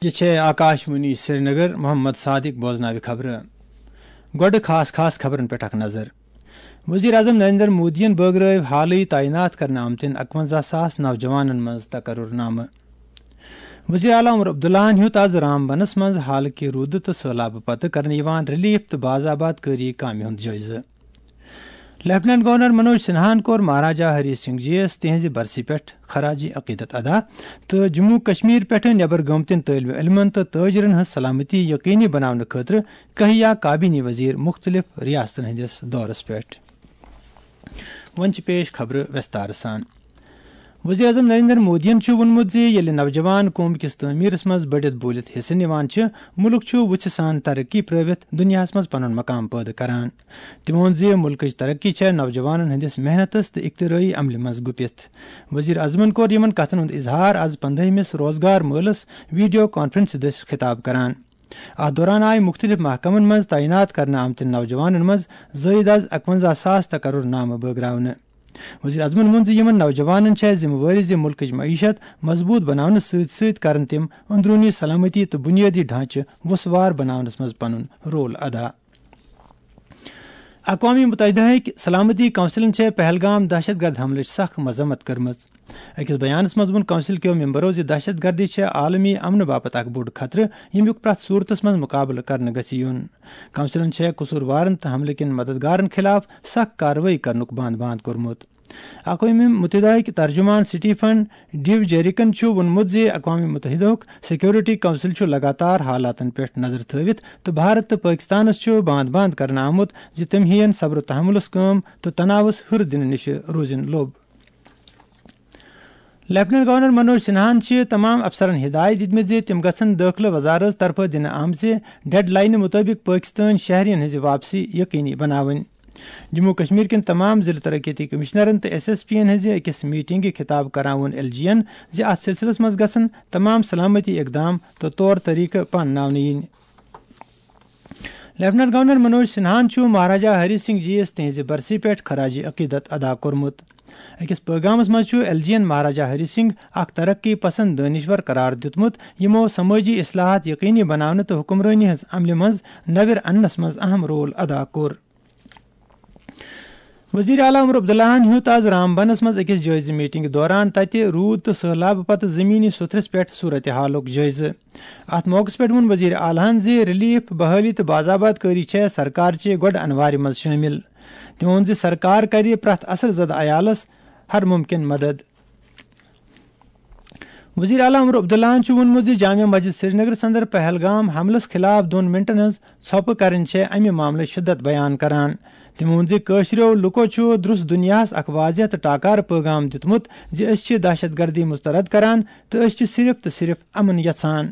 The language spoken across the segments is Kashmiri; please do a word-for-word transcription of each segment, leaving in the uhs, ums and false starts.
یہ چھے آکاش وانی سرینگر۔ محمد صادق بوزناوِ خبرٕ۔ گۄڈٕ خاص خاص خبرن پٮ۪ٹھ اکھ نظر۔ وزیر اعظم نریندر مودیَن بٲگرٲوۍ حالٕے تعینات کرنہٕ آمتٮ۪ن اَکوَنزاہ ساس نوجوانن منٛز تقرر نامہٕ۔ وزیر اعلیٰ عمر عبداللہَن ہیوٚت از رام بنس منٛز حالکہِ روٗدٕ تہٕ سٔہلابہٕ پتہٕ کرنہٕ یِوان ریلیف تہٕ بازآباد کٲری کامہِ ہُنٛد جٲیزٕ۔ لیفٹیننٹ گورنر منوج سنہاہَن کوٚر مہاراجا ہری سنگھ جی یَس تِہنٛزِ برسی پٮ۪ٹھ خراج عقیدت ادا تہٕ جموں کشمیر پٮ۪ٹھٕ نٮ۪بر گٲمتٮ۪ن طٲلبہِ علمن تہٕ تٲجرن ہٕنٛز سلامتی یقینی بناونہٕ خٲطرٕ کہیا کابینی وزیر مختلف ریاستن ہٕنٛدِس دورس پٮ۪ٹھ۔ وۄنۍ چھِ پیش خبرٕ وٮ۪ستارٕ سان۔ وزیر اعظم نریندر مودیَن چھُ ووٚنمُت زِ ییٚلہِ نوجوان قوم کِس تعمیٖرس منٛز بٔڑِتھ بوٗلِتھ حصہٕ نِوان چھِ، مُلک چھُ وُژھِ سان ترقی پرٲوِتھ دُنیاہَس منٛز پنُن مقام پٲدٕ کران۔ تٔمۍ ووٚن زِ مُلکٕچ ترقی چھےٚ نوجوانَن ہٕنٛدِس محنتس تہٕ اختراعی عملہِ منٛز گُپِتھ۔ وزیر اعظمَن کوٚر یِمَن کَتھَن ہُنٛد اظہار از پندٲہمِس روزگار مٲلَس ویڈیو کانفرنسہِ دٔسۍ خطاب کران۔ اَتھ دوران آیہِ مُختٔلِف محکمَن منٛز تعینات کرنہٕ آمتٮ۪ن نوجوانَن منٛز زٲیِد از اَکوَنزاہ ساس تقرر نامہٕ بٲگراونہٕ۔ وزیر اعظمَن ووٚن زِ یِمَن نوجوانَن چھےٚ ذمہٕ وٲری زِ مُلکٕچ معیشت مضبوٗط بناونہٕ سۭتۍ سۭتۍ کرن تِم اندروٗنی سلامتی تہٕ بُنیٲدی ڈھانچہٕ وُژھوار بناونَس منٛز پنُن رول ادا۔ اقوام متحدہ ہٕکۍ سلامتی کونسلن چھےٚ پہلگام دہشت گرد حملٕچ سخ مذمت کٔرمٕژ۔ أکِس بیانس منٛز ووٚن کونسل کیو ممبرو زِ دہشت گردی چھےٚ عالمی امنہٕ باپتھ اکھ بوٚڑ خطرٕ، ییٚمیُک پرٛٮ۪تھ صوٗرتس منٛز مُقابلہٕ کرنہٕ گژھِ یُن۔ کونسلن چھےٚ قصوٗروارن تہٕ حملہٕ کٮ۪ن مددگارن خلاف سخ کاروٲیی کرنُک بند بند کوٚرمُت۔ اقوام متحدہ ہٕکۍ ترجمان سٹیفن ڈیوجیریکن چھُ ووٚنمُت زِ اقوام متحدہُک سیکورٹی کونسل چھُ لگاتار حالاتن پٮ۪ٹھ نظر تھٲوِتھ تہٕ بھارت تہٕ پٲکستانس چھُ بند بند کرنہٕ آمُت زِ تِم ہیٚین صبر و تحملس کٲم تہٕ تناوس ہُر دِنہٕ نِش روزُن لوٚب۔ لیفٹیننٹ گورنر منوج سنہاہَن چھِ تمام افسرن ہدایت دِتمٕژ زِ تِم گژھن دٲخلہٕ وزارت طرفہٕ دِنہٕ آمژِ ڈیڈ لاینہِ مُطٲبِق پٲکِستٲنۍ شہرین ہٕنٛزِ واپسی یقینی بناوٕنۍ۔ جموں و کشمیر کٮ۪ن تمام ضلع ترقیتی کمشنرن تہٕ ایس ایس پی ین ہٕنٛزِ أکِس میٹنگہِ خطاب کران ووٚن ایل جی ین زِ اتھ سلسلس منٛز گژھن تمام سلامتی اقدام تہٕ طور طریقہٕ پانناونہٕ یِنۍ۔ لیفٹیننٹ گورنر منوج سنہاہَن چھُ مہاراجا ہری سنگھ جی یَس تِہنٛزِ برسی پٮ۪ٹھ خراج عقیدت ادا کوٚرمُت۔ أکِس پٲغامس منٛز چھُ ایل جی ین مہاراجا ہری سنگھ اکھ ترقی پسند دٲنشور قرار دیُتمُت، یِمو سمٲجی اصلاحات یقینی بناونہٕ تہٕ حکمرٲنی ہٕنٛز عملہِ منٛز نویر اننس منٛز اہم رول ادا کوٚر۔ وزیر اعلیٰ عمر عبداللہَن ہیوٚت از رام بنس منٛز أکِس جٲیزٕ میٹنگ دوران تتہِ روٗد تہٕ سٔہلابہٕ پتہٕ زمینی سوٚتھرِس پٮ۪ٹھ صورتحالُک جٲیزٕ۔ اتھ موقعس پٮ۪ٹھ ووٚن وزیر اعلیٰ ہَن زِ ریلیف، بحالی تہٕ باضابط کٲری چھےٚ سرکار چہِ گۄڈٕ انوارِ منٛز شٲمِل۔ تٔمۍ ووٚن زِ سرکار کرِ پرٛٮ۪تھ اثر زدٕ عیالس ہر ممکن مدد۔ وزیر اعلیٰ عمر عبداللہَن چھُ ووٚنمُت زِ جامع مسجد سرینگرس اندر پہلگام حملس خلاف دۄن منٹن ہٕنٛز ژھۄپہٕ کرٕنۍ چھےٚ امہِ معاملٕچ شدت بیان کران۔ تٔمۍ ووٚن زِ کٲشرٮ۪و لوٗکو چھُ درست دُنیاہَس اکھ واضح تہٕ ٹاکارٕ پٲغام دیُتمُت زِ أسۍ چھِ دہشت گردی مسترد کران تہٕ أسۍ چھِ صرف تہٕ صرف امن یژھان۔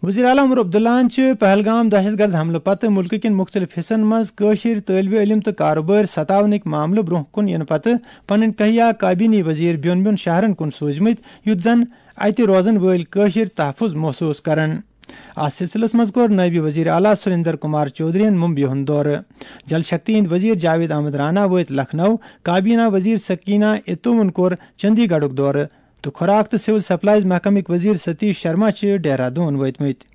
وزیر اعلیٰ عمر عبداللہَن چھِ پہلگام دہشت گرد حملہٕ پتہٕ مُلکہٕ کٮ۪ن مُختٔلِف حصن منٛز کٲشِرۍ طٲلبہِ علم تہٕ کارٕبٲرۍ ستاونٕکۍ معاملہٕ برٛونٛہہ کُن یِنہٕ پتہٕ پنٕنۍ کہیا کابینی وزیر بیوٚن بیوٚن شہرن کُن سوٗزمٕتۍ، یُتھ زن اتہِ روزن وٲلۍ کٲشِرۍ تحفظ محسوٗس کرن۔ اتھ سلسلس منٛز کوٚر نٲیِب وزیر اعلیٰ سریندر کمار چودھرین ممبیہِ ہُنٛد دورٕ۔ جل شکتی ہٕنٛدۍ وزیر جاوید احمد رانا وٲتۍ لکھنؤ، کابینہ وزیر سکینہ اتومن کوٚر چندی گڑھُک دورٕ تہٕ خوراک تہٕ سول سپلائز محکمٕکۍ وزیر ستیش شرما چھِ ڈیرہ دون وٲتمٕتۍ۔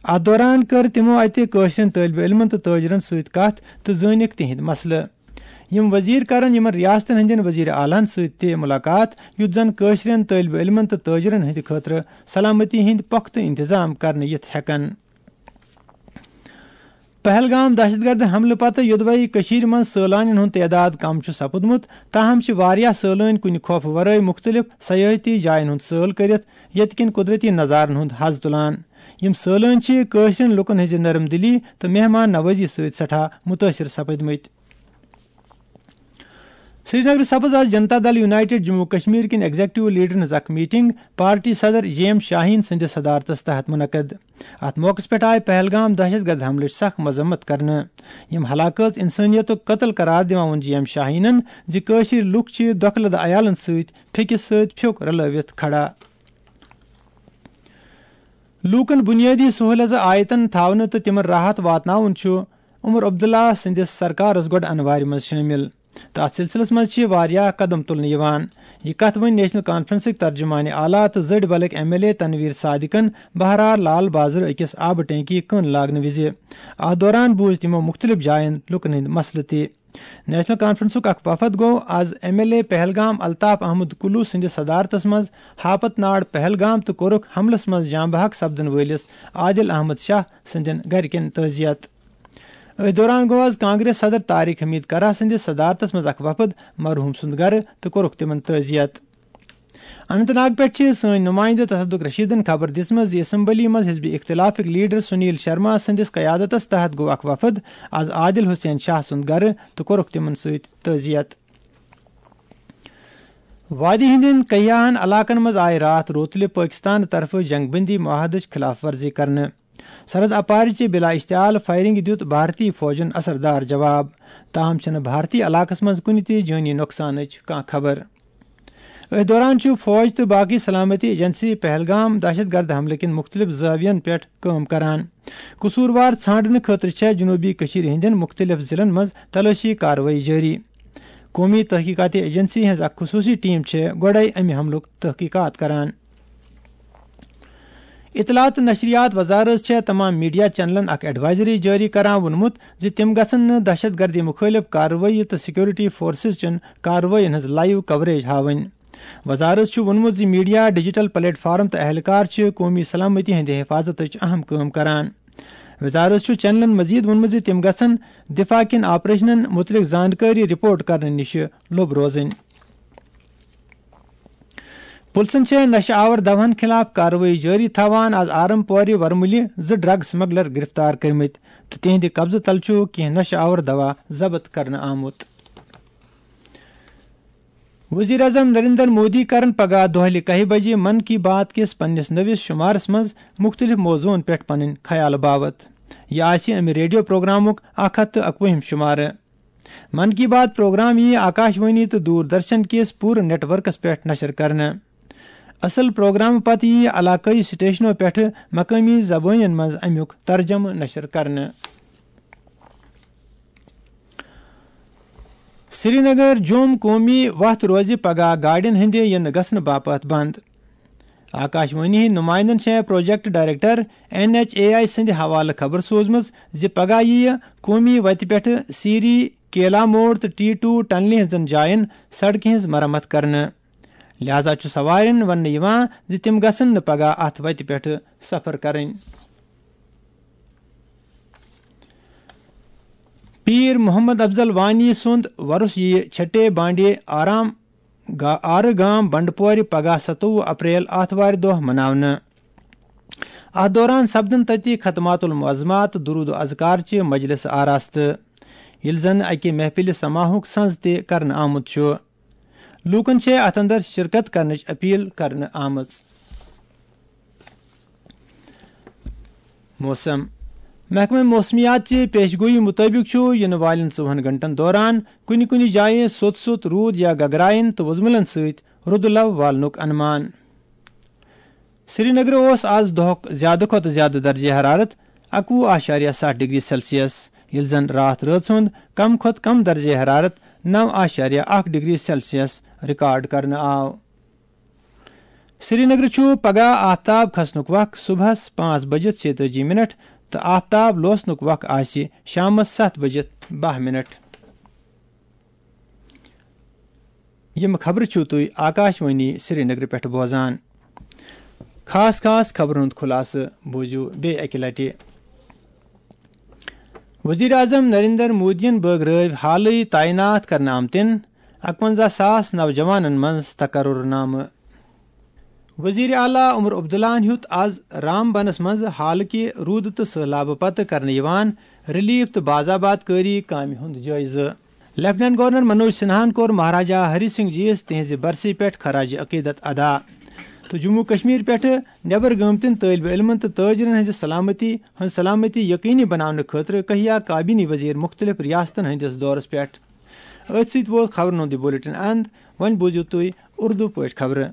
اتھ دوران کٔر تِمو اتہِ کٲشرٮ۪ن طٲلبہِ علمن تہٕ تٲجرن سۭتۍ کتھ تہٕ زٲنِکھ تِہنٛدۍ مسلہٕ۔ یِم وزیر کرن یِمن ریاستن ہٕنٛدٮ۪ن وزیر اعلیٰ ہن سۭتۍ تہِ مُلاقات، یُتھ زن کٲشرٮ۪ن طٲلبہِ علمن تہٕ تٲجرن ہٕنٛدِ خٲطرٕ سلامتی ہٕنٛدۍ پۄختہٕ انتظام کرنہٕ یِتھ ہٮ۪کن۔ پہلگام دہشت گرد حملہٕ پتہٕ یوٚدوے کٔشیٖرِ منٛز سٲلانٮ۪ن ہُنٛد تعداد کم چھُ سپُدمُت، تاہم چھِ واریاہ سٲلٲنۍ کُنہِ خوفہٕ ورٲے مُختٔلِف سیاحتی جاین ہُنٛد سٲل کٔرِتھ ییٚتہِ کٮ۪ن قۄدرٔتی نظارن ہُنٛد حظ تُلان۔ یِم سٲلٲنۍ چھِ کٲشرٮ۪ن لُکن ہٕنٛزِ نرم دلی تہٕ مہمان نوازی سۭتۍ سٮ۪ٹھاہ مُتٲثِر سپٕدمٕتۍ۔ سرینگر سپٕز آز جنتا دل یونائیٹڈ جموں کشمیر کٮ۪ن ایگزیکٹو لیڈرن ہٕنٛز اکھ میٹنگ پارٹی صدر جے ایم شاہین سٕنٛدِس صدارتس تحت منعقد۔ اتھ موقعس پٮ۪ٹھ آیہِ پہلگام دہشت گرد حملٕچ سخ مذمت کرنہٕ۔ یِم ہلاکت انسٲنیتُک قتل قرار دِوان ووٚن جے ایم شاہینن زِ کٲشِرۍ لُکھ چھِ دۄکھٕ لدٕ عیالن سۭتۍ پھیٚکِس سۭتۍ پھیوٚک رلٲوِتھ کھڑا۔ لوٗکن بُنیٲدی سہوٗلیژٕ آیتن تھاونہٕ تہٕ تِمن راحت واتناوُن چھُ عمر عبداللہ سٕنٛدِس سرکارس گۄڈٕ انوارِ منٛز شٲمِل۔ تہٕ اتھ سلسلس منٛز چھِ واریاہ قدم تُلنہٕ یِوان۔ یہِ کتھ ؤنۍ نیشنل کانفرنسٕکۍ ترجمان اعلیٰ تہٕ زٔڈۍ بلٕکۍ ایم ایل اے تنویر صادقن بہرار لال بازرٕ أکِس آبہٕ ٹینکی کٕن لاگنہٕ وِزِ۔ اتھ دوران بوٗزۍ تِمو مُختٔلِف جاین لُکن ہٕنٛدۍ مسلہٕ تہِ۔ نیشنل کانفرنسُک اکھ وفد گوٚو از M L A Pahalgam Altaf Ahmad Kaloo سٕنٛدِس صدارتس منٛز ہاپت ناڈ پہلگام تہٕ کوٚرُکھ حملس منٛز جاں بحق سپدن وٲلِس عادل احمد شاہ سٕنٛدٮ۪ن گرِکٮ۪ن تعزیت۔ أتھۍ دوران گوٚو از کانگریس صدر طارق حمید کرہ سٕنٛدِس صدارتس منٛز اکھ وفد مرحوم سُنٛد گرٕ تہٕ کوٚرُکھ تِمن تعزیت۔ اننت ناگ پٮ۪ٹھ چھِ سٲنۍ نُمٲیندٕ تصدق رشیدن خبر دِژمٕژ زِ اسمبلی منٛز حزب اختلافٕکۍ لیڈر سنیل شرما سٕنٛدِس قیادتس تحت گوٚو اکھ وفد از عادل حسین شاہ سُنٛد گرٕ تہٕ کوٚرُکھ تِمن سۭتۍ تعزیت۔ وادی ہٕنٛدٮ۪ن کیاہن علاقن منٛز آیہِ راتھ روتلہِ پٲکستان طرفہٕ جنگ بندی معاہدٕچ خلاف ورزی کرنہٕ۔ سرحد اپارِ چہِ بلا اشتعال فائرنگ دیُت بھارتی فوجن اثردار جواب، تاہم چھنہٕ بھارتی علاقس منٛز کُنہِ تہِ جٲنی نۄقصانٕچ کانٛہہ خبر۔ أتھۍ دوران چھُ فوج تہٕ باقی سلامتی ایجنسی پہلگام دہشت گرد حملہٕ کٮ۪ن مُختٔلِف زٲوین پٮ۪ٹھ کٲم کران۔ قصوٗروار ژھانڈنہٕ خٲطرٕ چھےٚ جنوٗبی کٔشیٖرِ ہٕنٛدٮ۪ن مُختٔلِف ضلعن منٛز تلٲشی کاروٲیی جٲری۔ قومی تحقیقاتی ایجنسی ہٕنٛز اکھ خصوٗصی ٹیم چھےٚ گۄڈَے امہِ حملُک تحقیقات کران۔ اطلاعات تہٕ نشریات وزارت چھےٚ تمام میڈیا چینلن اکھ ایڈوائزری جٲری کران ووٚنمُت زِ تِم گژھن نہٕ دہشت گردی مُخٲلِف کاروٲیی تہٕ سیکورٹی فورسز چٮ۪ن کاروٲیین ہٕنٛز لائیو کوریج ہاوٕنۍ۔ وزارت چھُ ووٚنمُت زِ میڈیا، ڈیجیٹل پلیٹ فارم تہٕ اہلکار چھِ قومی سلامتی ہٕنٛدِ حفاظتٕچ اہم کٲم کران۔ وزارت چھُ چینلن مزید ووٚنمُت زِ تِم گژھن دفاع کٮ۪ن آپریشنن مُتعلق زانکٲری رپورٹ کرنہٕ نِش لوٚب روزٕنۍ۔ پُلسن چھےٚ نشہٕ آور دواہن خلاف کاروٲیی جٲری تھاوان۔ از آرم پورِ ورمُلہِ زٕ ڈرگ سمگلر گرفتار کٔرمٕتۍ تہٕ تِہنٛدِ قبضہٕ تل چھُ کینٛہہ نشہٕ آور دوا ضبط کرنہٕ آمُت۔ وزیر اعظم نریندر مودی کرن پگاہ دۄہلہِ کاہہِ بجہِ من کی بات کِس پننِس نٔوِس شمارس منٛز مُختٔلِف موضوعن پٮ۪ٹھ پنٕنۍ خیال باوت۔ یہِ آسہِ امہِ ریڈیو پروگرامُک اکھ ہتھ تہٕ اکوُہِم شمارٕ۔ من کی بات پروگرام یِیہِ آکاشوانی تہٕ دوردرشن کِس پوٗرٕ نیٹ ورکس پٮ۪ٹھ نشر کرنہٕ۔ اصل پروگرام پتہٕ یِیہِ علاقٲیی سٹیشنو پٮ۪ٹھٕ مقٲمی زبٲنٮ۪ن منٛز امیُک ترجمہٕ نشر کرنہٕ۔ سرینگر جوم قومی وتھ روزِ پگاہ گاڑٮ۪ن ہٕنٛدِ یِنہٕ گژھنہٕ باپتھ بند۔ آکاشوانی ہٕنٛدۍ نمائندن چھےٚ project director N H A I سٕنٛدِ حوالہٕ خبر سوزمٕژ زِ پگاہ یِیہِ قومی وتہِ پٮ۪ٹھٕ سیری، کیلا موڑ تہٕ ٹی ٹو ٹنلہِ ہٕنٛزن جاین سڑکہِ ہٕنٛز مرمت کرنہٕ۔ لہذا چھُ سوارٮ۪ن وننہٕ یِوان زِ تِم گژھن نہٕ پگاہ اتھ وتہِ پٮ۪ٹھٕ سفر کرٕنۍ۔ پیٖر محمد افضل وانی سُنٛد وۄرُس یِیہِ چھٹے بانڈے آرام گا-، آرٕ گام بنڈپورِ پگاہ ستووُہ اپریل آتھوارِ دۄہ مناونہٕ۔ اتھ دوران سپدن تتہِ ختمات المعظمات، درود و اذکار چہِ مجلس آراستہٕ، ییٚلہِ زن اکہِ محفلِ سماہُک سنز تہِ کرنہٕ آمُت چھُ۔ لوٗکن چھےٚ اتھ اندر شرکت کرنٕچ اپیل کرنہٕ آمٕژ۔ موسم۔ محکمہ موسمیات چہِ پیش گویی مُطٲبِق چھُ یِنہٕ والٮ۪ن ژوٚوُہن گھنٹن دوران کُنہِ کُنہِ جایہِ سوٚت سوٚت روٗد یا گگراین تہٕ وُزملن سۭتۍ رُدٕ لو والنُک انمان۔ سرینگرٕ اوس آز دۄہُک زیادٕ کھۄتہٕ زیادٕ درجہ حرارت اَکوُہ اعشاریہ ستھ ڈگری سیلسیس، ییٚلہِ زن راتھ رٲژ ہُنٛد کم کھۄتہٕ کم درجہ حرارت نو اعشاریہ اکھ ڈگری سیلسیس ریکارڈ کرنہٕ آو۔ سرینگرٕ چھُ پگاہ آفتاب کھسنُک وق صبحس پانٛژھ بجِتھ شیٚتٲجی منٹ تہٕ آفتاب لوسنُک وق آسہِ شامس ستھ بجِتھ باہ منٹ۔ یِم خبرٕ چھِو تُہۍ آکاشوانی سرینگرٕ پٮ۪ٹھ بوزان۔ خاص خاص خبرن ہُنٛد خُلاصہٕ بوٗزِو بیٚیہِ اَکہِ لٹہِ۔ وزیر اعظم نریندر مودیَن بٲگرٲوۍ حالٕے تعینات کرنہٕ آمتٮ۪ن اَکوَنزاہ ساس نوجوانن منٛز تقرر نامہٕ۔ وزیر اعلیٰ عمر عبداللہَن ہیوٚت آز رام بنَس منٛز حالٕکہِ روٗدٕ تہٕ سٔہلابہٕ پتہٕ کرنہٕ یِوان ریلیف تہٕ باضابط کٲری کامہِ ہُنٛد جٲیزٕ۔ لیفٹیننٹ گورنر منوج سنہاہَن کوٚر مہاراجا ہری سنگھ جی یَس تِہنٛزِ برسی پٮ۪ٹھ خراج عقیدت ادا تہٕ جموں کشمیر پٮ۪ٹھٕ نٮ۪بر گٲمتٮ۪ن طٲلبہِ علمن تہٕ تٲجرن ہٕنٛزِ سلامتی ہٕنٛز سلامتی یقینی بناونہٕ خٲطرٕ کٔہیا کابینی وزیر مُختٔلِف ریاستن ہٕنٛدِس دورس پٮ۪ٹھ۔ أتھۍ سۭتۍ ووت خبرن ہُنٛد یہِ بلیٹن اند۔ وۄنۍ بوٗزِو تُہۍ اردو پٲٹھۍ خبرٕ۔